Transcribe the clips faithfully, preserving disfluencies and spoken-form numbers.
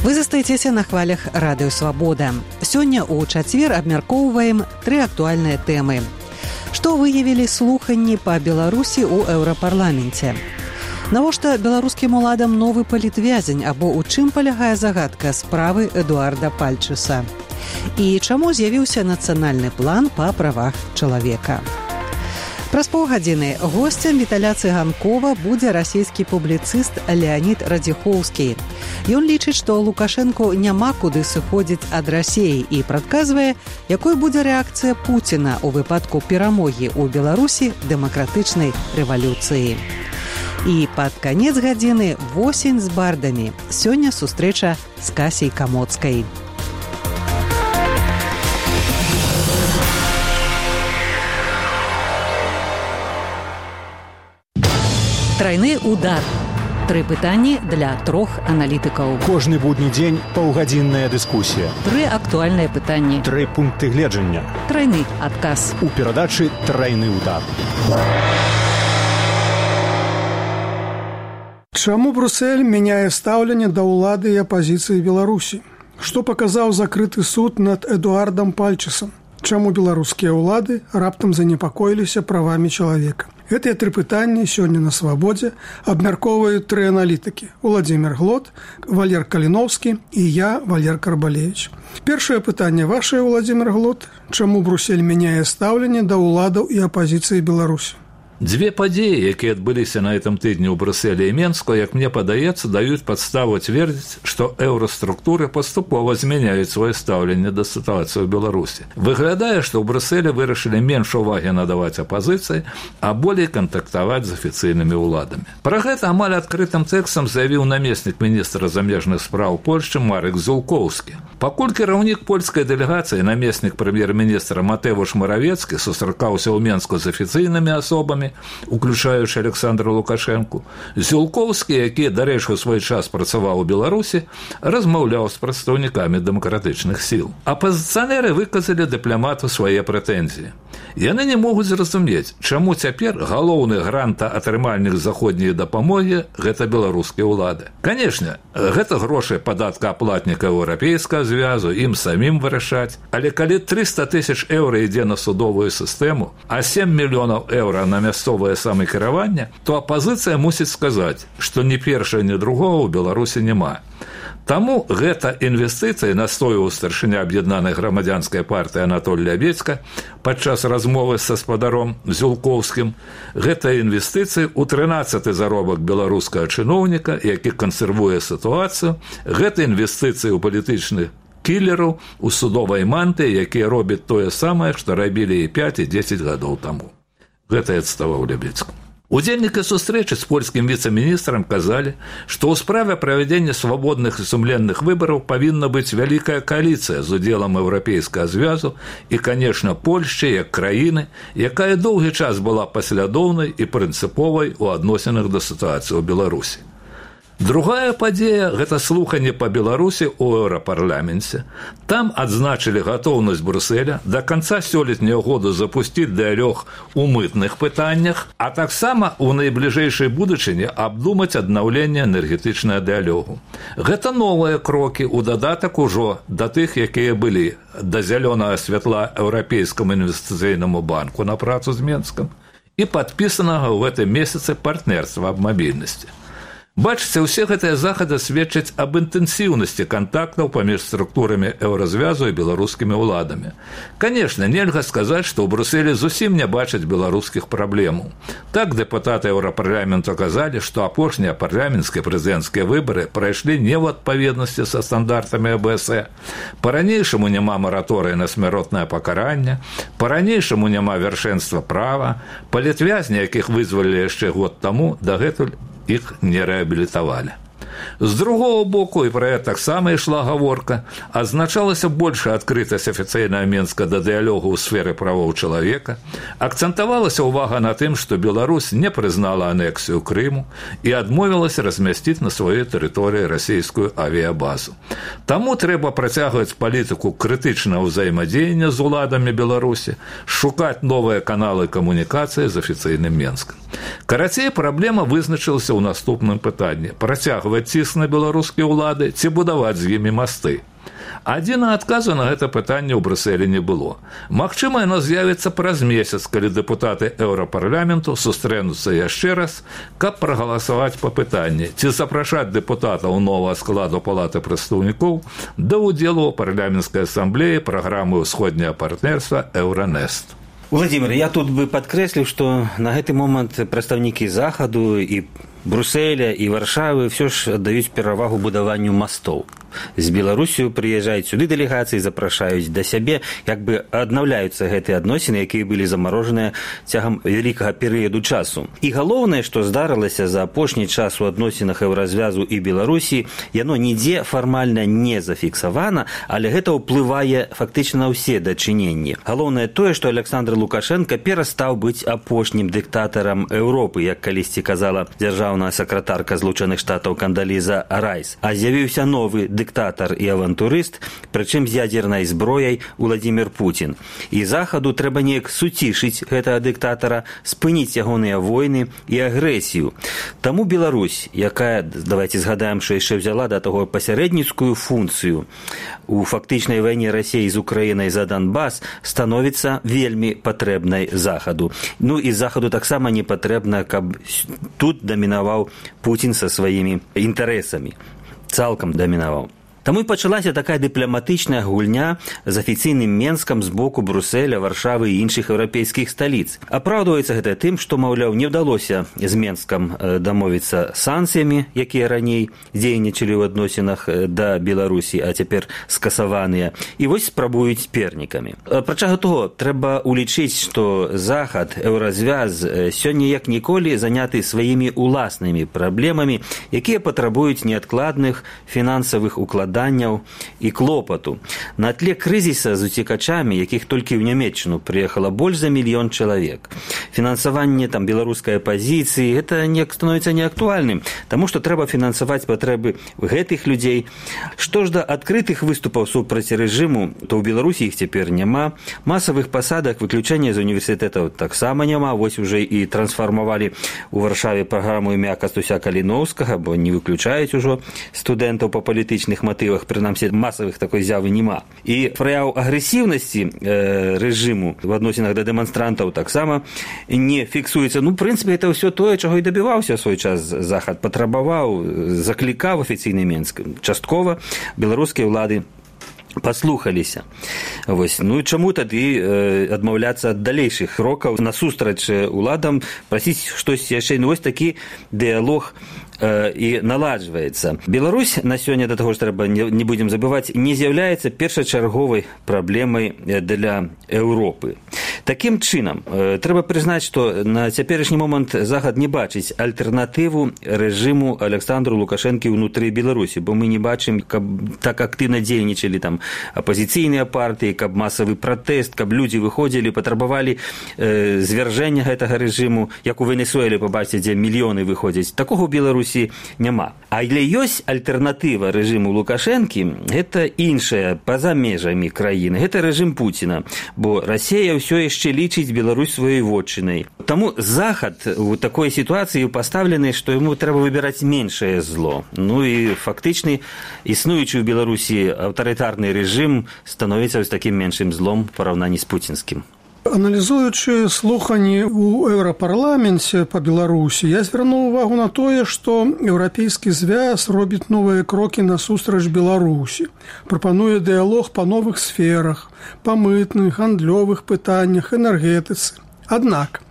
Вы застаецеся на хвалях радыё «Свабода». Сёння ў чацвер абмяркоўваем тры актуальныя тэмы. Што выявілі слуханні па Беларусі ў Еўрапарламенце? Навошта беларускім уладам новы палітвязень, або ў чым палягае загадка справы Эдуарда Пальчыса? І чаму з'явіўся нацыянальны план па правах чалавека? Праз паўгадзіны госцем Віталя Цыганкова будзе расійскі публіцыст Леанід Радзіхоўскі. Ён лічыць, што Лукашэнку няма куды сыходзіць ад Расіі і прадказвае, якой будзе рэакцыя Пуціна ў выпадку перамогі ў Беларусі дэмакратычнай рэвалюцыі. І пад канец гадзіны восень з бардамі. Сёння сустрэча з Касяй Камоцкай. Трайны удар. Тры пытанні для трох аналітыкаў. Кожны будні дзень паўгадзінная дыскусія. Тры актуальныя пытанні. Тры пункты гледжання. Трайны адказ. У перадачы «Трайны удар». Чаму Брюссель мяняе стаўленне да ўлады і апазіцыі Беларусі? Што паказаў закрыты суд над Эдуардам Пальчысам? Чаму беларускія ўлады раптам занепакоіліся правамі чалавека? Гэтыя тры пытанні сёння на «Свабодзе» абмяркоўваюць тры аналітыкі: Уладзімір Глот, Валер Каліноўскі і я, Валер Карбалевіч. Першае пытанне ваше, Уладзімір Глот. Чаму Брюссель мяняе стаўленне да ўладаў і апазіцыі Беларусі? Дзве падзеі, якія адбыліся на гэтым тыдні ў Брюсселі і Менску, як мне падаецца, даюць падставу цвердзіць, што еўраструктуры паступова змяняюць сваё стаўленне да сітуацыі ў Беларусі. Выглядае, што ў Брюсселі вырашылі менш увагі надаваць апазіцыі, а болей кантактаваць з афіцыйнымі ўладамі. Пра гэта амаль адкрытым тэкстам заявіў намеснік міністра замежных спраў Польшчы Марек Зулкоўскі. Пакуль кіраўнік польскай дэлегацыі, намеснік прэм'ер-міністра Матэвуш Маравецкі, сустракаўся ў Менску з афіцыйнымі асобамі, уключаючы Александра Лукашэнку, Зулкоўскі, які, дарэчы, у свой час працаваў у Беларусі, размаўляў з прадстаўнікамі дэмакратычных сіл. Апазіцыянеры выказалі дыпламату свае прэтэнзіі. Яны не могуць зразумець, чаму цяпер галоўны грантаатрымальнік заходняй дапамогі – гэта беларускія ўлады. Канешне, гэта грошы падаткааплатніка Еўрапейскага звязу, ім самім вырашаць, але калі трыста тысяч еўра ідзе на судовую сістэму, а сем мільёнаў еўра на мясцовае самакіраванне, то апазіцыя мусіць сказаць, што ні першага, ні другога ў Беларусі няма. Таму гэта інвестыцыі, настойваў старшыня аб'яднанай грамадзянскай партыі Анатоль Лябедзька падчас размовы са спадаром Зулкоўскім, гэта інвестыцыі ў трынаццаты заробак беларускага чыноўніка, які кансервуе сітуацыю, гэта інвестыцыі ў палітычных кілераў, у судовай мантыі, якія робяць тое самае, што рабілі і пяць і дзесяць гадоў таму. Гэта і адставаў Лябедзьку. Удзельнікі сустрэчы з польскім віцэ-міністрам казалі, што ў справе правядзення свабодных і сумленных выбараў павінна быць вялікая кааліцыя з удзелам Еўрапейскага звязу і, канешне, Польшчы як краіны, якая доўгі час была паслядоўнай і прынцыповай у адносінах да сітуацыі ў Беларусі. Другая падзея – гэта слуханне па Беларусі ў Еўрапарламенце. Там адзначылі гатоўнасць Брюсселя да канца сёлетняга года запусціць дыялог у мытных пытаннях, а таксама ў найбліжэйшай будучыні абдумаць аднаўленне энергетычнага дыялогу. Гэта новыя крокі ў дадатак ужо да тых, якія былі да зялёнага святла Еўрапейскаму інвестыцыйнаму банку на працу з Менскам і падпісанага ў гэтым месяцы партнерства аб мабільнасці. Бачыце, усе гэтыя захады сведчаць аб інтэнсіўнасці кантактаў паміж структурамі еўразвязу і беларускімі ўладамі. Канешне, нельга сказаць, што ў Брюсселі зусім не бачаць беларускіх праблемаў. Так дэпутаты Еўрапарламенту казалі, што апошнія парламенцкія прэзідэнцкія выбары прайшлі не ў адпаведнасці са стандартамі Э Бэ Эс Э. Па-ранейшаму няма мараторыя на смяротнае пакаранне, па-ранейшаму няма вяршэнства права, палітвязні, якіх вызвалілі яшчэ год таму, дагэтуль іх не рэабілітавалі. З другого боку, і пра гэта таксама ішла гаворка, адзначалася большая адкрытасць афіцыйнага Менска да дыялогу ў сферы правоў чалавека, акцэнтавалася ўвага на тым, што Беларусь не прызнала анексію Крыму і адмовілася размясціць на сваёй тэрыторыі расійскую авіябазу. Таму трэба працягваць палітыку крытычнага ўзаемадзеяння з уладамі Беларусі, шукаць новыя каналы камунікацыі з афіцыйным Менскам. Карацей, праблема вызначылася ў наступным пытанні: працягваць ціск на беларускія ўлады ці будаваць з імі масты. Адзінага адказу на гэта пытанне ў Брюсселі не было. Магчыма, яно з'явіцца праз месяц, калі дэпутаты Еўрапарламенту сустрэнуцца яшчэ раз, каб прагаласаваць па пытанні, ці запрашаць дэпутатаў новага складу Палаты прадстаўнікоў да ўдзелу ў парламенцкай асамблеі праграмы ўсходняга партнерства «Еўранест». Владимир, я тут бы падкрэсліў, што на гэты момант прадстаўнікі захаду і Брюсселя і Варшавы ўсё ж аддаюць перавагу будаванню мастоў. З Беларусію прыязджаюць сюды дэлегацыі, запрашаюць да сябе, як бы аднаўляюцца гэтыя адносіны, якія былі замарожаныя цягам вялікага перыяду часу. І галоўнае, што здарылася за апошні час у адносінах Еўразвязу і Беларусі, яно нідзе фармальна не зафіксавана, але гэта ўплывае фактычна на ўсе дачыненні. Галоўнае тое, што Александр Лукашенко перастаў быць апошнім дыктатарам Еўропы, як калісьці казала дзяржаўная сакратарка Злучаных Штатаў Кандаліза Райс, а з'явіўся новы дыктатар і авантурыст, прычым з ядзернай зброяй Владимир Путин. І захаду трэба неяк суцішыць гэтага дыктатара, спыніць ягоныя войны і агрэсію. Таму Беларусь, якая, давайте згадаем, што яшчэ взяла да таго пасярэдніцкую функцыю у фактычнай вайне Расіі з Украінай за Донбас, становіцца вельмі патрэбнай захаду. Ну і захаду таксама не патрэбна, каб тут дамінаваў Путин са сваімі інтарэсамі. Цалкам дамінаваў. Таму і пачалася такая дыпламатычная гульня з афіцыйным Менскам з боку Брюсселя, Варшавы і іншых еўрапейскіх сталіц. Апраўдваецца гэта тым, што, маўляў, не ўдалося з Менскам дамовіцца санкцыямі, якія раней дзейнічалі ў адносінах да Беларусі, а цяпер скасаваныя. І вось спрабуюць пернікамі. Апрача таго, трэба улічыць, што захад, Еўразвяз сёння як ніколі заняты сваімі уласнымі праблемамі, якія патрабуюць неадкладных фінансавых укладанняў і клопату. На тле крызіса з уцекачамі, якіх толькі ў Нямецчыну прыехала больш за мільён чалавек. Фінансаванне там беларускай апазіцыі, гэта не становіцца неактуальным, таму што трэба фінансаваць патрэбы гэтых людзей. Што ж да адкрытых выступаў супраць рэжыму, то ў Беларусі іх цяпер няма. Масавых пасадак, выключэння з універсітэтаў таксама няма. Вось уже і трансфармавалі ў Варшаве праграму імя Кастуся Каліноўскага, бо не выключаюць ужо студэнтаў па палітычных матывах. Прынамсі, масавых такой з'явы няма. І праяў агрэсіўнасці э, рэжыму в адносінах да дэманстрантаў таксама не фіксуецца. Ну, в прынцыпе, это ўсё тое, чаго і дабіваўся ў свой час захад. Патрабаваў, заклікаў афіцыйны Менск. Часткова беларускія ўлады паслухаліся. Вось. Ну і чаму тады э, адмаўляцца ад далейшых крокаў насустрач уладам, прасіць штось яшчэ. Ну, вось такі дыялог і наладжваецца. Беларусь на сёння, да таго ж трэба не, не будзем забываць, не з'яўляецца першачарговай праблемай для Еўропы. Такім чынам, трэба прызнаць, што на цяперашні момант захад не бачыць альтэрнатыву рэжыму Александру Лукашэнкі ўнутры Беларусі, бо мы не бачым, каб так актыўна дзейнічалі там апазіцыйныя партыі, каб масавы пратэст, каб людзі выходзілі, патрабавалі э, звяржэння гэтага рэжыму, як у Венесуэле, пабачыце, дзе мільёны выходзяць. Такога ў Беларусі няма. Але ёсць альтэрнатыва рэжыму Лукашэнкі, гэта іншая, па-за межамі краіны. Гэта рэжым Пуціна, бо Расія ўсё яшчэ лічыць Беларусь сваёй вотчынай. Таму захад у такой сітуацыі пастаўлены, што яму трэба выбіраць меншае зло. Ну і фактычны існуючы ў Беларусі аўтарытарны рэжым становіцца вось такім меншым злом у параўнанні з пуцінскім. Аналізуючы слуханні ў Еўрапарламенце па Беларусі, я звярнуў увагу на тое, што Еўрапейскі звяз робіць новыя крокі насустрач Беларусі, прапануе дыялог па новых сферах, па мытных, гандлёвых пытаннях, энергетыцы. Аднак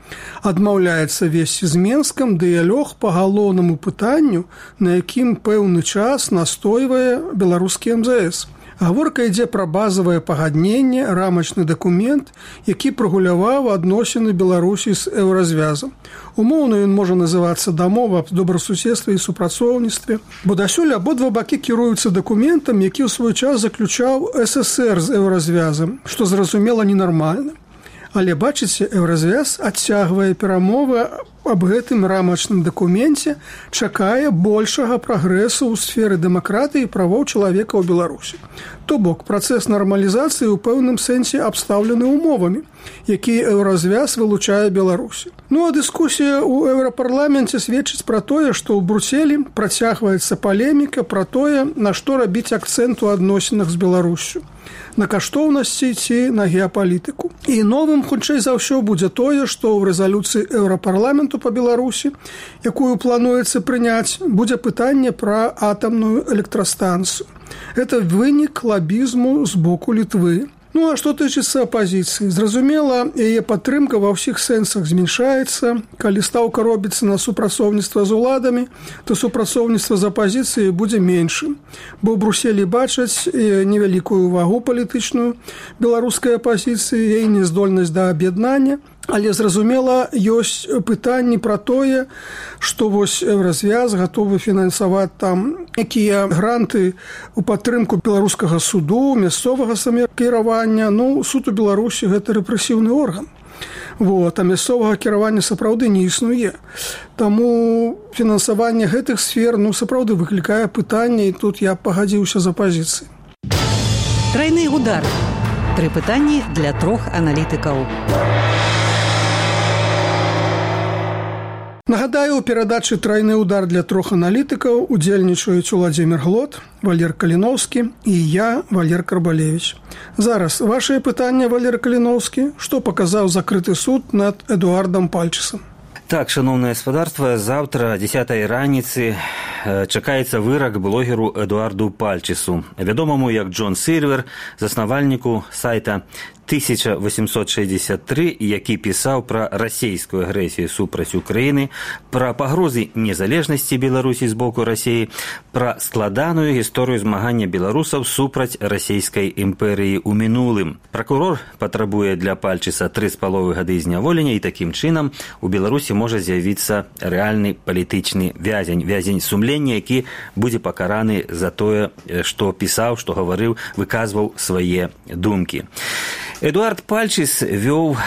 адмаўляецца весці з Менскам дыялог па галоўнаму пытанню, на якім пэўны час настойвае беларускі эм зэ эс. Гаворка ідзе пра базавае пагадненне, рамачны дакумент, які прагуляваў адносіны Беларусі з Еўразвязам. Умоўна ён можа называцца дамова аб добрасуседстве і супрацоўніцтве, бо дасюль абодва бакі кіруюцца дакументам, які ў свой час заключаў эс эс ер з Еўразвязам, што зразумела ненармальна. Але, бачыце, Еўразвяз адцягвае перамовы аб гэтым рамачным дакуменце чакае большага прагрэсу ў сферы дэмакратыі і правоў чалавека ў Беларусі. То бок, працэс нармалізацыі ў пэўным сэнсе абстаўлены умовамі, якія еўразвяз вылучае Беларусі. Ну а дыскусія ў еўрапарламенце сведчыць пра тое, што ў Брюсселі працягваецца палеміка пра тое, на што рабіць акцэнт у адносінах з Беларусю. На каштоўнасці ці на геапалітыку. І новым, хутчэй за ўсё, будзе тое, што ў рэзалюцыі Еўрапарламенту па Беларусі, якую плануецца прыняць, будзе пытанне пра атамную электрастанцыю. Гэта вынік лабізму з боку Літвы. Ну, а што тычыцца апазіцыі? Зразумела, яе падтрымка ва ўсіх сэнсах зменшаецца. Калі стаўка робіцца на супрацоўніцтва з уладамі, то супрацоўніцтва з апазіцыяй будзе меншым. Бо ў Брюсселі бачаць невялікую вагу палітычную беларускай апазіцыі, яе няздольнасць да аб'яднання. Але, зразумела, ёсць пытанні пра тое, што вось Еўразвяз гатовы фінансаваць там якія гранты ў падтрымку беларускага суду, мясцовага самакіравання. Ну, суд у Беларусі – гэта рэпрэсіўны орган. Вот, а мясцовага кіравання сапраўды не існуе. Таму фінансаванне гэтых сфер, ну, сапраўды выклікае пытанне, і тут я пагадзіўся з апазіцыяй. Трайны удар. Тры пытанні для трох аналітыкаў. Нагадаю, у перадачы «Трайны удар» для трох аналітыкаў удзельнічаюць Уладзімір Глот, Валер Каліноўскі і я, Валер Карбалевіч. Зараз вашае пытанне, Валер Каліноўскі, што паказаў закрыты суд над Эдуардам Пальчысам? Так, шановное господарство, завтра, дзесятай раніцы, чакаецца вырак блогеру Эдуарду Пальчысу, вядомаму як Джон Сильвер, заснавальніку сайта тысяча восемьсот шестьдесят три, які пісаў пра расійскую агрэсію супраць Украіны, пра пагрозы незалежнасці Беларусі з боку Расіі, пра складаную гісторыю змагання беларусаў супраць расійскай імперыі ў мінулым. Пракурор патрабуе для Пальчыса тры з паловай гады зняволення, і такім чынам у Беларусі можа з'явіцца рэальны палітычны вязень, вязень сумлення, які будзе пакараны за тое, што пісаў, што гаварыў, выказваў свае думкі. Эдуард Пальчыс вёў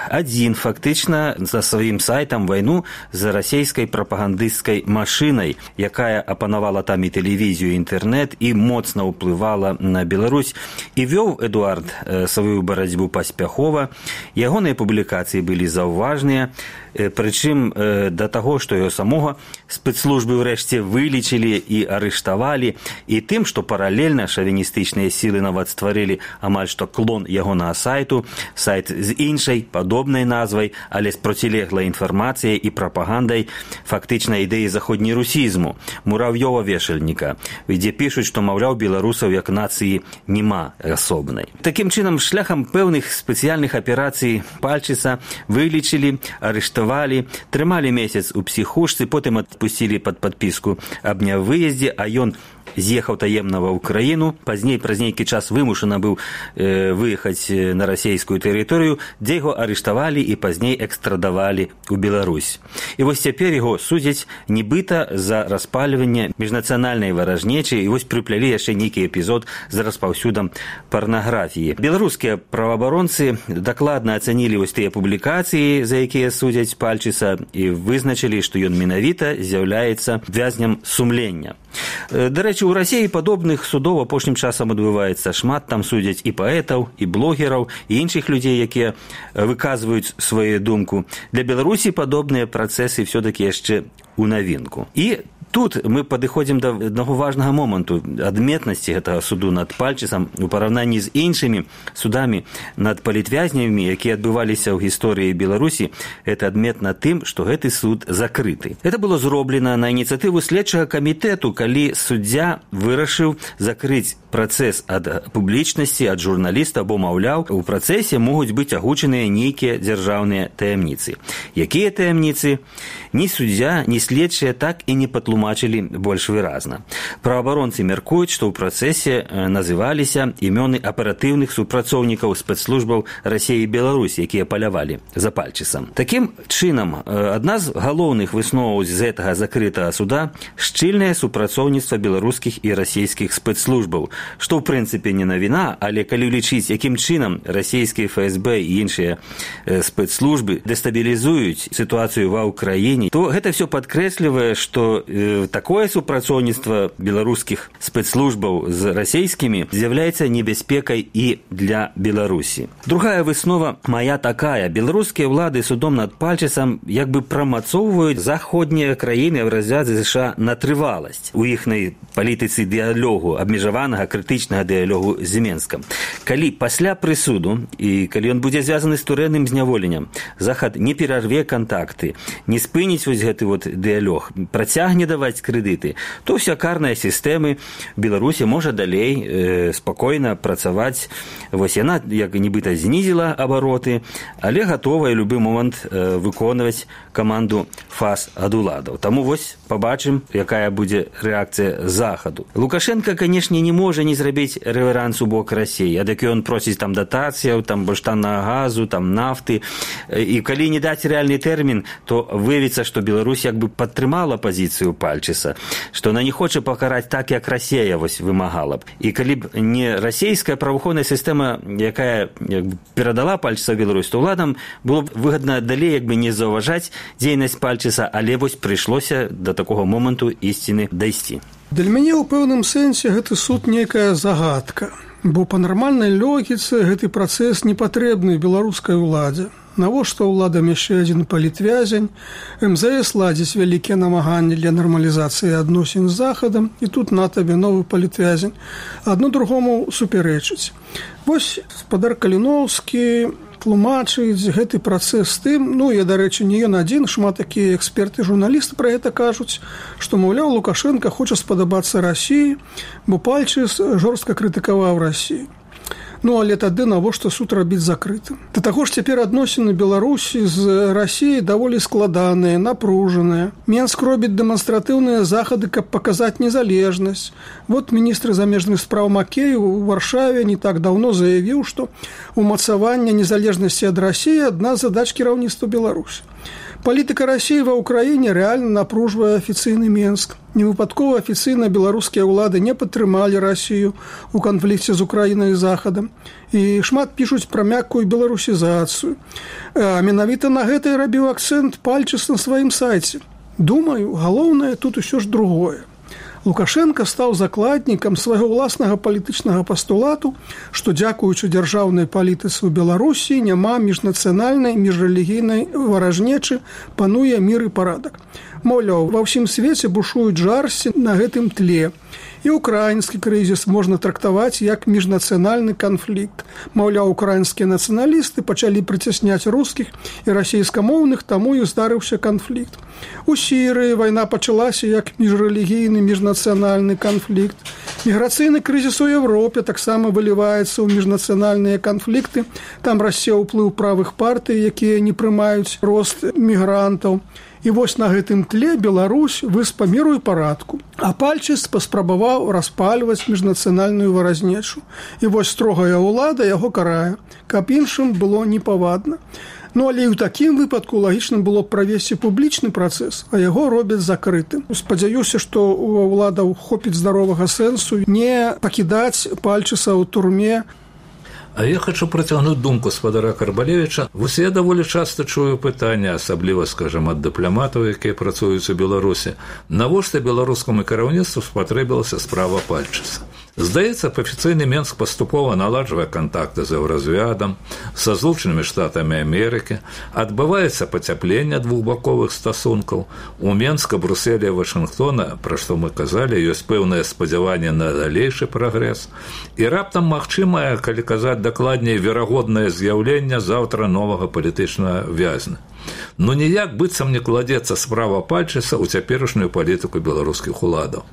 адзін фактычна за сваім сайтам вайну з расійскай прапагандысцкай машынай, якая апанавала там і тэлевізію, і інтэрнэт, і моцна ўплывала на Беларусь. І вёў Эдуард сваю барацьбу паспяхова. Ягоныя публікацыі былі заўважныя, прычым да таго, што яго самога спецслужбы ўрэшце вылічылі і арыштавалі, і тым, што паралельна шавіністычныя сілы нават стварылі амаль што клон ягонага сайту, сайт з іншай, падобнай назвай, але з процілеглай інфармацыяй і прапагандай фактычна ідэі заходнерусізму, мурав'ёва-вешальніка, дзе пішуць, што, маўляў, беларусаў як нацыі нема асобнай. Такім чынам, шляхам пэўных спецыяльных аперацый Пальчыса вылічылі, арыштавалі, трымалі месяц у псіхушцы, потым адпусцілі пад падпіску аб нявыездзе, а ён з'ехаў таемна ва ўкраіну, пазней праз нейкі час вымушана быў э, выехаць на расійскую тэрыторыю, дзе яго арыштавалі і пазней экстрадавалі ў Беларусь. І вось цяпер яго судзяць нібыта за распальванне міжнацыянальнай варажнечы, і вось прыплялі яшчэ нейкі эпізод з распаўсюдам парнаграфіі. Беларускія праваабаронцы дакладна ацанілі вось тыя публікацыі, за якія судзяць Пальчыса, і вызначылі, што ён менавіта з'яўляецца вязням сумлення. Дарэчы, у Расіі падобных судоў апошнім часам адбываецца шмат, там судзяць і паэтаў, і блогераў, і іншых людзей, якія выказваюць сваю думку. Для Беларусі падобныя працэсы ўсё-такі яшчэ у навінку. І тут мы падыходзім да аднаго важнага моманту адметнасці гэтага суду над Пальчысам у параўнанні з іншымі судамі над палітвязнямі, якія адбываліся ў гісторыі Беларусі. Это адметна тым, што гэты суд закрыты. Это было зроблена на ініцыятыву следчага камітэту, калі суддзя вырашыў закрыць працэс ад публічнасці, ад журналіста, бо, маўляў, у працэсе могуць быць агучаныя нейкія дзяржаўныя таямніцы. Якія таямніцы? Ні суддзя, ні следчыя так і не патлумачылі патлумачылі больш выразна. Праваабаронцы мяркуюць, што ў працэсе называліся імёны аператыўных супрацоўнікаў спецслужбаў Расіі і Беларусі, якія палявалі за Пальчысам. Такім чынам, адна з галоўных высноваў з гэтага закрытага суда шчыльнае супрацоўніцтва беларускіх і расійскіх спецслужбаў, што ў прынцыпе не навіна, але калі лічыць, якім чынам расійскія эф эс бэ і іншыя спецслужбы дэстабілізуюць сітуацыю ва ўкраіне, то гэта все падкрэслівае, што э, такое супрацоўніцтва беларускіх спецслужбаў з расійскімі з'яўляецца небяспекай і для Беларусі. Другая выснова мая такая. Беларускія ўлады судом над Пальчысам як бы прамацоўваюць заходнія краіны в разрядзе ЗША на трываласць у іхнай палітыцы дыялогу, абмежаванага крытычнага дыялогу з Менскам. Калі пасля прысуду і калі ён будзе звязаны з турэмным зняволеннем, Захад не перарве кантакты, не спыніць вось гэты вот дыялог, працягне даваць крэдыты, то вся карная сістэма Беларусі можа далей э, спакойна працаваць. Вось яна як нібыта знізіла абароты, але гатовая любы момант э, выконваць каманду фаз ад уладаў. Таму вось пабачым, якая будзе рэакцыя Захаду. Лукашенко, канешне, не можа не зрабіць рэверанс у бок Расіі, ад які ён просіць там датацыяў, там больш таннага газу, там нафты. І калі не даць рэальны тэрмін, то выявіцца, што Беларусь як бы падтрымала пазіцыю Пальчыса, што она не хоча пакараць так, як Расія вось вымагала б. І калі б не расійская праваахоўная сістэма, якая як бы перадала Пальчыса ў Беларусь, то ўладам было б выгадна далей як бы не заўважаць дзейнасць Пальчыса, але вось прыйшлося да такога моманту ісціны дайсці. Для мяне ў пэўным сэнсе гэты суд нейкая загадка, бо па нармальнай логіцы гэты працэс не патрэбны беларускай уладзе. Навошта ўладам яшчэ адзін палітвязень, эм зэ эс ладзіць вялікія намаганні для нармалізацыі адносін з Захадам, і тут на табе новы палітвязень, адно другому супярэчыць. Вось спадар Каліноўскі тлумачыць гэты працэс тым, ну, я, дарэчы, не ён адзін, шмат такія эксперты, журналісты пра гэта кажуць, што, маўляў, Лукашенко хоча спадабацца Расіі, бо Пальчыс жорстка крытыкаваў Расію. Ну, але тады навошта суд рабіць закрытым? Да таго ж цяпер адносіны Беларусі з Расіяй даволі складаныя, напружаныя. Менск робіць дэманстратыўныя захады, каб паказаць незалежнасць. Вот міністр замежных спраў Макеев у Варшаве не так даўно заявіў, што умацаванне незалежнасці ад Расіі адна з задач кіраўніцтва Беларусі. Палітыка Расіі ва ўкраіне рэальна напружвае афіцыйны Менск. Невыпадкова афіцыйна беларускія ўлады не падтрымалі Расію ў канфлікце з Украінай і Захадам. І шмат пішуць пра мяккую беларусізацыю. А менавіта на гэта і рабіў акцэнт Пальчыс на сваім сайце. Думаю, галоўнае тут усё ж другое. Лукашенко стаў закладнікам свайго ўласнага палітычнага пастулату, што, дзякуючы дзяржаўнай палітыцы ў Беларусі, няма міжнацыянальнай, міжрэлігійнай варажнечы, пануе мір і парадак. Маўляў, ва ўсім свеце бушуюць жарсці на гэтым тле. І украінскі крызіс можна трактаваць як міжнацыянальны канфлікт. Маўляў, украінскія нацыяналісты пачалі прыцясняць рускіх і расійскамоўных, таму і здарыўся канфлікт. У Сірыі вайна пачалася як міжрэлігійны міжнацыянальны канфлікт. Міграцыйны крызіс у Европе таксама выліваецца ў міжнацыянальныя канфлікты. Там расце ўплыў правых партый, якія не прымаюць рост мігрантаў. І вось на гэтым тле Беларусь выспа міру і парадку. А Пальчыс паспрабаваў распальваць міжнацыянальную варазнечу. І вось строгая ўлада яго карае, каб іншым было непавадна. Ну, але і ў такім выпадку лагічным было б правесці публічны працэс, а яго робяць закрытым. Спадзяюся, што у ўладаў хопіць здаровага сэнсу не пакідаць Пальчыса ў турме. А я хочу працягнуць думку спадара Карбалевіча. Вось я даволі часта чую пытанне, асабліва, скажам, ад дыпламатаў, якія працуюць у Беларусі, навошта беларускаму кіраўніцтву спатрэбілася справа Пальчыса. Здаецца, афіцыйны Менск паступова наладжвае кантакты з Еўразвядам, са Злучанымі Штатамі Амерыкі, адбываецца пацяпленне двухбаковых стасункаў. У Менска, Брюсселя і Вашынгтона, пра што мы казалі, ёсць пэўнае спадзяванне на далейшы прагрэс. І раптам магчымае, калі казаць дакладней, верагоднае з'яўленне заўтра новага палітычнага вязня. но ніяк быццам не кладзецца справа Пальчыса ў цяперашнюю палітыку беларускіх уладаў.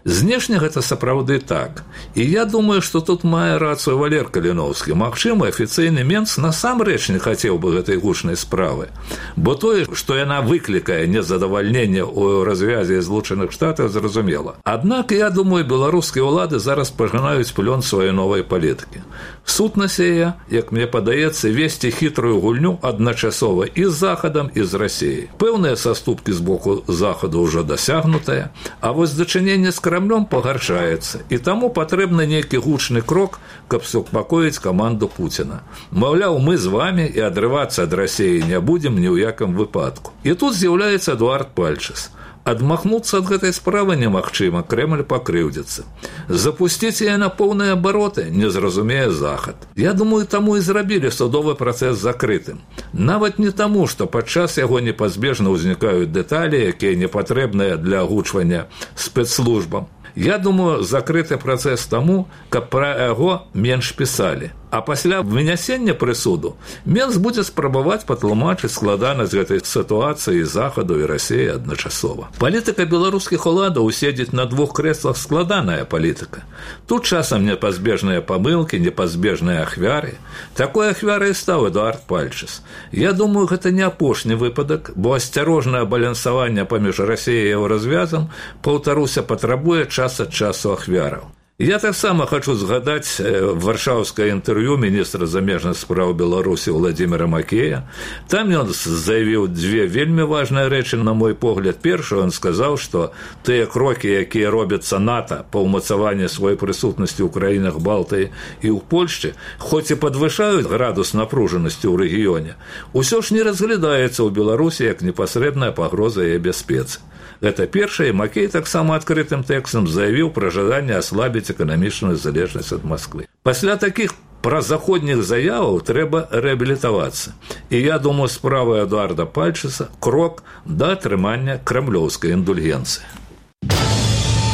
Знешне гэта сапраўды так. І я думаю, што тут мае рацыю Валер Каліноўскі. Магчыма, афіцыйны Менц насамрэч не хацеў бы гэтай гучнай справы. Бо тое, што яна выклікае незадавальненне ў развязе Злучаных Штатаў, зразумела. Аднак, я думаю, беларускія ўлады зараз пажынаюць плён сваёй новай палітыкі. Сутнасць яе, як мне падаецца, весці хітрую гульню адначасова і з Захадам, і з Расіяй. Пэўныя саступкі з боку Захаду ўжо дасягнутыя, а вось дачыненне з Крамлём пагаршаецца, і таму патрэбны нейкі гучны крок, каб супакоіць каманду Пуціна. Маўляў, мы з вамі і адрывацца ад Расіі не будзем ні ў якім выпадку. І тут з'яўляецца Эдуард Пальчыс. Адмахнуцца ад гэтай справы немагчыма, Крэмль пакрыўдзіцца. Запусціць яе на поўныя абароты не зразумее Захад. Я думаю, таму і зрабілі судовы працэс закрытым. Нават не таму, што падчас яго непазбежна ўзнікаюць дэталі, якія непатрэбныя для агучвання спецслужбам. Я думаю, закрыты працэс таму, каб пра яго менш пісалі. А пасля вынясення прысуду Менц будзе спрабаваць патлумачыць складанасць гэтай сітуацыі Захаду і Расіі адначасова. Палітыка беларускіх уладаў уседзець на двух крэслах складаная палітыка. Тут часам непазбежныя памылкі, непазбежныя ахвяры. Такой ахвярай стаў Эдуард Пальчыс. Я думаю, гэта не апошні выпадак, бо асцярожнае балансаванне паміж Расіяй і Еўразвязам, паўтаруся, патрабуе час ад часу ахвяраў. Я таксама хочу згадаць варшаўскае інтэрв'ю міністра замежных спраў Беларусі Владзіміра Макея. Там ён заявіў дзве вельмі важныя рэчы, на мой погляд. Першы, ён сказаў, што тыя крокі, якія робяцца НАТО па ўмацаванні сваёй прысутнасці ў краінах Балтыі і ў Польшчы, хоць і падвышаюць градус напружанасці ў рэгіёне, усё ж не разглядаецца ў Беларусі як непасрэдная пагроза яе бяспецы. Гэта першае, Макей таксама адкрытым тэкстам заявіў пра жаданне аслабіць эканамічную залежнасць ад Масквы. Пасля такіх празаходніх заяваў трэба рэабілітавацца. І я думаю, справа Эдуарда Пальчыса крок да атрымання крамлёўскай індульгенцыі.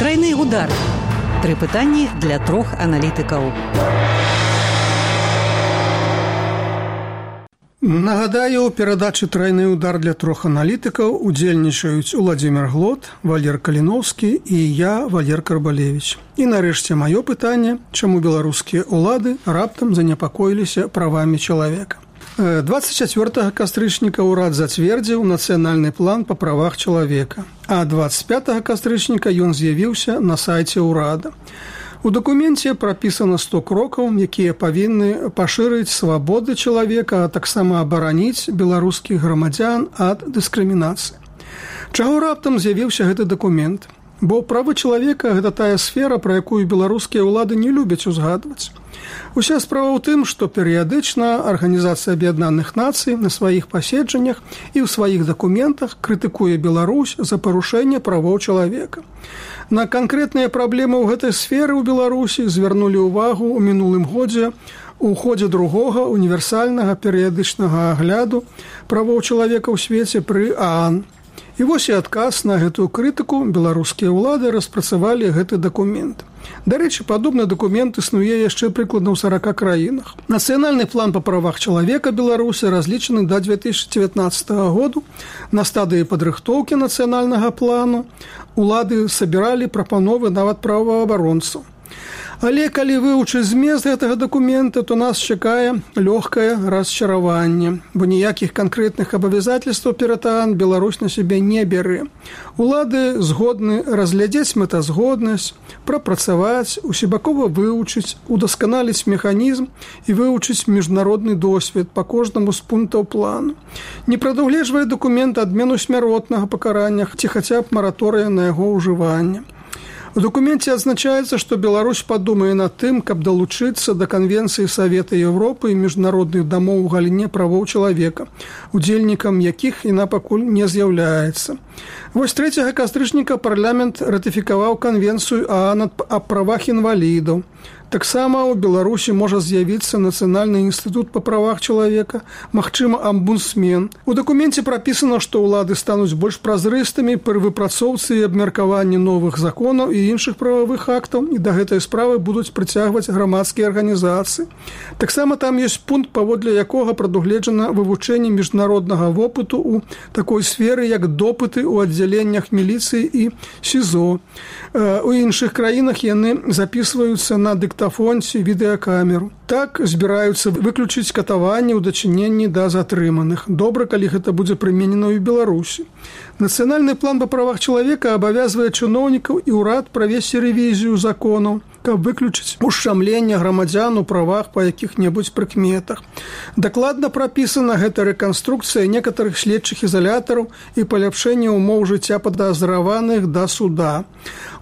Трайны удар. Тры пытанні для трох аналітыкаў. Нагадаю, у перадачы «Трайны удар» для трох аналітыкаў удзельнічаюць Уладзімір Глот, Валер Каліноўскі і я, Валер Карбалевіч. І нарэшце маё пытанне, чаму беларускія ўлады раптам занепакоіліся правамі чалавека. двадцать чацвёртага кастрычніка ўрад зацвердзіў нацыянальны план па правах чалавека, а двадцать пятага кастрычніка ён з'явіўся на сайце ўрада. У дакуменце прапісана сто крокаў, якія павінны пашырыць свабоды чалавека, а таксама абараніць беларускіх грамадзян ад дыскрымінацыі. Чаго раптам з'явіўся гэты дакумент? Бо правы чалавека – гэта тая сфера, пра якую беларускія ўлады не любяць узгадваць. Уся справа ў тым, што перыядычна Арганізацыя Аб'яднаных Нацый на сваіх паседжаннях і ў сваіх дакументах крытыкуе Беларусь за парушэнне правоў чалавека. На канкрэтныя праблемы ў гэтай сферы ў Беларусі звярнулі ўвагу ў мінулым годзе у ходзе другога універсальнага перыядычнага агляду правоў чалавека ў свеце пры ААН. І вось і адказ на гэтую крытыку беларускія ўлады распрацавалі гэты дакумент. Дарэчы, падобны дакумент існуе яшчэ прыкладна ў сарака краінах. Нацыянальны план па правах чалавека Беларусі разлічаны да две тысячы дзевятнаццатага году. На стадыі падрыхтоўкі нацыянальнага плану улады сабіралі прапановы нават праваабаронцаў. Але калі вывучыць змест гэтага дакумента, то нас чакае лёгкае расчараванне, бо ніякіх канкрэтных абавязательстваў перад ААН Беларусь на сябе не бярэ. Улады згодны разглядзець мэтазгоднасць, прапрацаваць, усебакова вывучыць, удасканаліць механізм і вывучыць міжнародны досвед па кожнаму з пунктаў плану. Не прадугледжвае дакумент адмену смяротнага пакарання ці хаця б мараторыя на яго ўжыванне. У дакуменце адзначаецца, што Беларусь падумае над тым, каб далучыцца да Канвенцыі Савета Еўропы і міжнародных дамоў у галіне правоў чалавека, удзельнікам якіх яна пакуль не з'яўляецца. Вось трэцяга кастрычніка парламент ратыфікаваў Канвенцыю ААН аб правах інвалідаў. Таксама ў Беларусі можа з'явіцца Нацыянальны інстытут па правах чалавека, магчыма, амбудсмен. У дакуменце прапісана, што ўлады стануць больш празрыстымі пры выпрацоўцы і абмеркаванні новых законаў і іншых прававых актаў, і да гэтай справы будуць прыцягваць грамадскія арганізацыі. Таксама там ёсць пункт, паводле якога прадугледжана вывучэнне міжнароднага вопыту ў такой сферы, як допыты ў аддзяленнях міліцыі і СІЗО. У іншых краінах яны запісваюцца на дыктафонце, відэакамеру. Так збіраюцца выключыць катаванне ў дачыненні да затрыманых. Добра, калі гэта будзе прыменена ў Беларусі. Нацыянальны план па правах чалавека абавязвае чыноўнікаў і ўрад правесці рэвізію законаў, каб выключыць ушчамленне грамадзян у правах па якіх-небудзь прыкметах. Дакладна прапісана гэта рэканструкцыя некаторых следчых ізалятараў і паляпшэнне ўмоў жыцця падазраваных да суда.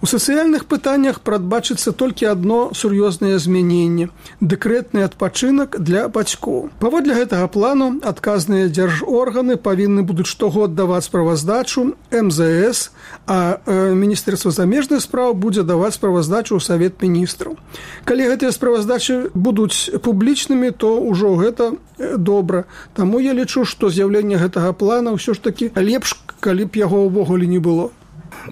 У сацыяльных пытаннях прадбачыцца толькі адно сур'ёзнае змяненне – дэкрэтны адпачынак для бацькоў. Паводле гэтага плану адказныя дзяржорганы павінны будуць штогод даваць справаздачу эм зэ эс, а Міністэрства замежных спраў будзе даваць справаздачу ў Савет міністраў. Калі гэтыя справаздачы будуць публічнымі, то ўжо гэта добра. Таму я лічу, што з'яўленне гэтага плана ўсё ж такі лепш, калі б яго ўвогуле не было.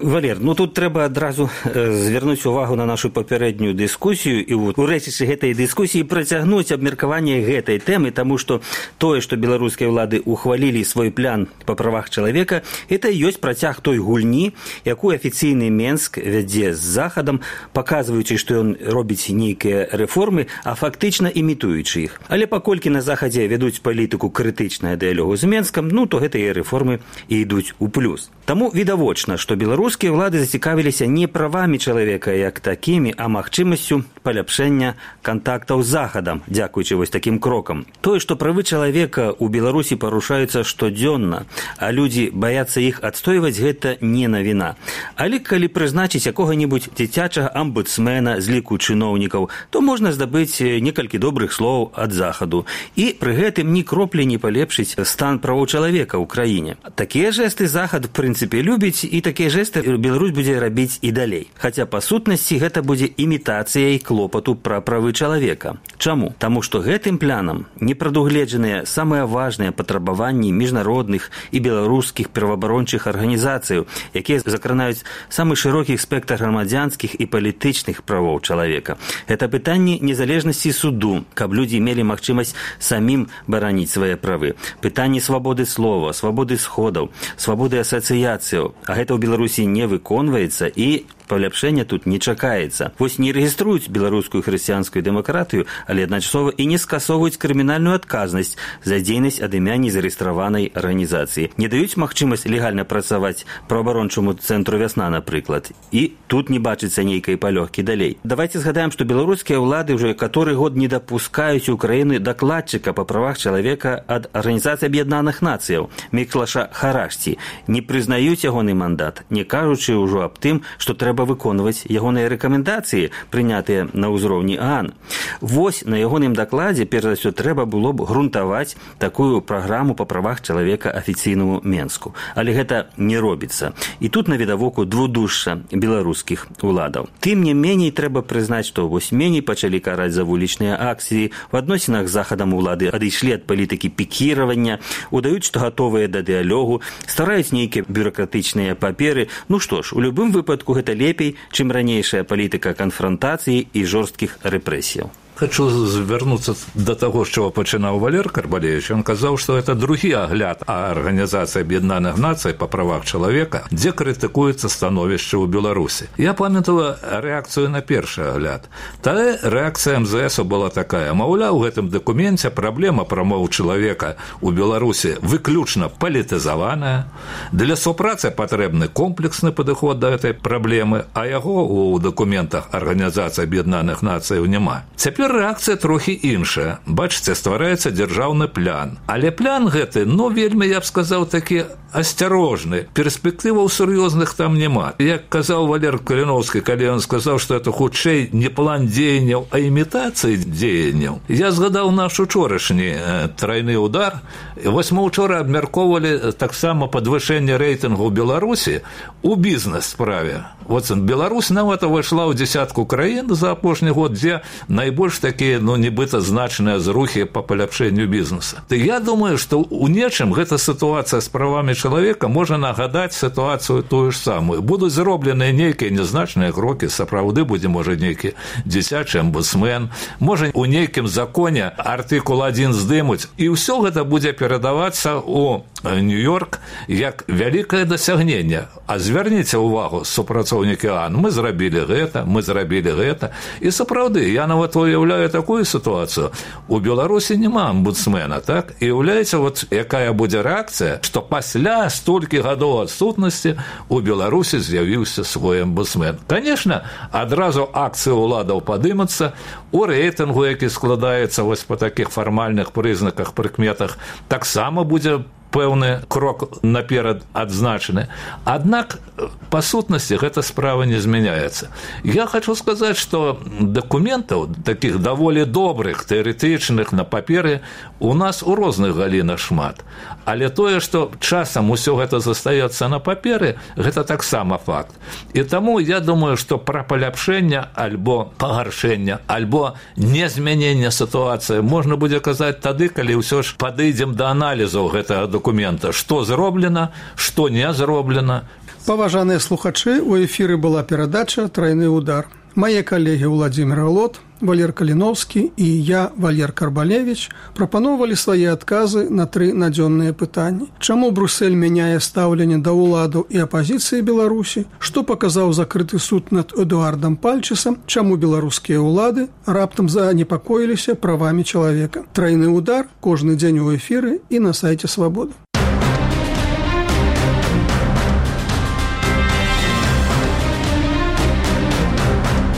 Валер, ну тут трэба адразу звярнуць увагу на нашу папярэднюю дыскусію і у рэчышчы гэтай дыскусіі працягнуць абмеркаванне гэтай тэмы, таму што тое, што беларускія ўлады ухвалілі свой план па правах чалавека, это ёсць працяг той гульні, якую афіцыйны Менск вядзе з Захадам, паказваючы, што ён робіць нейкія рэформы, а фактычна імітуючы іх. Але паколькі на Захадзе вядуць палітыку крытычная дыялогу з Менскам, ну то гэтыя рэформы і ідуць у плюс. Таму відавочна, што беларускія ўлады зацікавіліся не правамі чалавека як такімі, а магчымасцю паляпшэння кантактаў з Захадам, дзякуючы вось такім крокам. Тое, што правы чалавека ў Беларусі парушаюцца штодзённа, а людзі баяцца іх адстойваць, гэта не навіна. Але калі прызначыць якога-небудзь дзіцячага амбудсмена з ліку чыноўнікаў, то можна здабыць некалькі добрых слоў ад Захаду і пры гэтым ні кроплі не палепшыць стан правоў чалавека ў краіне. Такія жэсты Захад, в прынцыпе, любіць, і такія жэсты Беларусь будзе рабіць і далей. Хаця па сутнасці гэта будзе імітацыяй клопату пра правы чалавека. Чаму? Таму што гэтым планам не прадугледжаныя самыя важныя патрабаванні міжнародных і беларускіх праваабарончых арганізацыяў, якія закранаюць самы шырокі спектр грамадзянскіх і палітычных правоў чалавека. Гэта пытанні незалежнасці суду, каб людзі мелі магчымасць самім бараніць свае правы. Пытанні свабоды слова, свабоды сходаў, свабоды асацыяцыяў, а гэта ў Беларусі не выконваецца і паляпшэння тут не чакаецца. Вось не рэгіструюць беларускую хрысціянскую дэмакратыю, але адначасова і не скасоўваюць крымінальную адказнасць за дзейнасць ад імя незарэгістраванай арганізацыі. Не даюць магчымасць легальна працаваць праваабарончаму цэнтру «Вясна», напрыклад. І тут не бачыцца нейкай палёгкі далей. Давайце згадаем, што беларускія ўлады ўжо каторы год не дапускаюць у краіны дакладчыка па правах чалавека ад Арганізацыі Аб'яднаных Нацыяў Міклаша Харашці. Не прызнаюць ягоны мандат, не кажучы ўжо аб тым, што трэба выконваць ягоныя рэкамендацыі, прынятыя на ўзроўні ААН. Вось на ягоным дакладзе, перш за ўсё, трэба было б грунтаваць такую праграму па правах чалавека афіцыйнаму Менску. Але гэта не робіцца. І тут навідавоку двудушша беларускіх уладаў. Тым не меней трэба прызнаць, што вось меней пачалі караць за вулічныя акцыі, в адносінах з Захадам улады адышлі ад палітыкі пікіравання, удаюць, што гатовыя да дыялогу, стараюць нейкія бюракратычныя паперы. Ну што ж, у любым выпадку гэта лепей, чым ранейшая палітыка канфронтацыі і жорсткіх рэпрэсіяў. Хочу звярнуцца да таго, з чаго пачынаў Валер Карбалевіч. Ён казаў, што гэта другі агляд Арганізацыі Аб'яднаных Нацый па правах чалавека, дзе крытыкуецца становішча ў Беларусі. Я памятала рэакцыю на першы агляд. Тады рэакцыя эм зэ эсу была такая: маўляў, у гэтым дакуменце праблема прамоў чалавека ў Беларусі выключна палітызаваная. Для супрацы патрэбны комплексны падыход да гэтай праблемы, а яго ў дакументах Арганізацыі Аб'яднаных Нацыяў няма. Цяпер Цяпер рэакцыя трохі іншая. Бачыце, ствараецца дзяржаўны план. Але план гэты, ну, вельмі, я б сказаў, такі асцярожны. Перспектываў сур'ёзных там няма. Як казаў Валер Каліноўскі, калі ён сказаў, што это хутчэй не план дзеянняў, а імітацыі дзеянняў. Я згадаў наш учорашні трайны удар. Вось мы учора абмяркоўвалі таксама падвышэнне рэйтынгу Беларусі у бізнес-справе. Вот Беларусь нават увайшла ў дзесятку краін за апошні год, дзе найбольш такія, ну, нібыта значныя зрухі па паляпшэнню бізнеса. Я думаю, што ў нечым гэта сітуацыя з правамі чалавека можа нагадаць сітуацыю тую ж самую. Будуць зробленыя нейкія незначныя крокі, сапраўды будзе, можа, нейкі дзіцячы амбудсмен, можа, у нейкім законе артыкул адзін здымуць, і ўсё гэта будзе перадавацца ў Нью-Йорк як вялікае дасягненне. А звярніце ўвагу, супрацоўнікі ААН, мы зрабілі гэта, мы зрабілі гэта. І сапраўды, я нават уяўляю такую сітуацыю. У Беларусі няма амбудсмена, так? І уяўляеце, вот якая будзе рэакцыя, што пасля столькі гадоў адсутнасці у Беларусі з'явіўся свой амбудсмен. Конечно, адразу акцыі ўладаў падымацца, у рэйтынгу, які складаецца вось па такіх фармальных прызнаках, прыкметах, таксама будзе пэўны крок наперад адзначаны. Аднак, па сутнасці, гэта справа не змяняецца. Я хочу сказаць, што дакументаў, такіх даволі добрых, тэарэтычных, на паперы, у нас у розных галінах шмат. Але тое, што часам усё гэта застаецца на паперы, гэта таксама факт. І таму я думаю, што пра паляпшэнне альбо пагаршэнне, альбо незмянення сітуацыі можна будзе казаць тады, калі ўсё ж падыдзем да аналізу гэтага документа, што зроблена, што не зроблена. Паважаныя слухачы, у эфіры была перадача «Трайны удар». Мае калегі Владзімір Глот, Валер Каліноўскі і я, Валер Карбалевіч, прапаноўвалі свае адказы на тры надзённыя пытанні. Чаму Брюссель мяняе стаўленне да ўладаў і апазіцыі Беларусі? Што паказаў закрыты суд над Эдуардам Пальчысам? Чаму беларускія ўлады раптам занепакоіліся правамі чалавека? Трайны удар кожны дзень у эфіры і на сайце Свабода.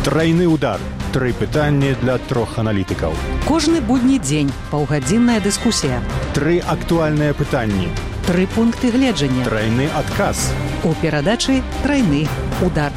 Трайны удар. Тры пытанні для трох аналітыкаў. Кожны будні дзень паўгадзінная дыскусія. Тры актуальныя пытанні. Тры пункты гледжання. Трайны адказ. У перадачы «Трайны удар».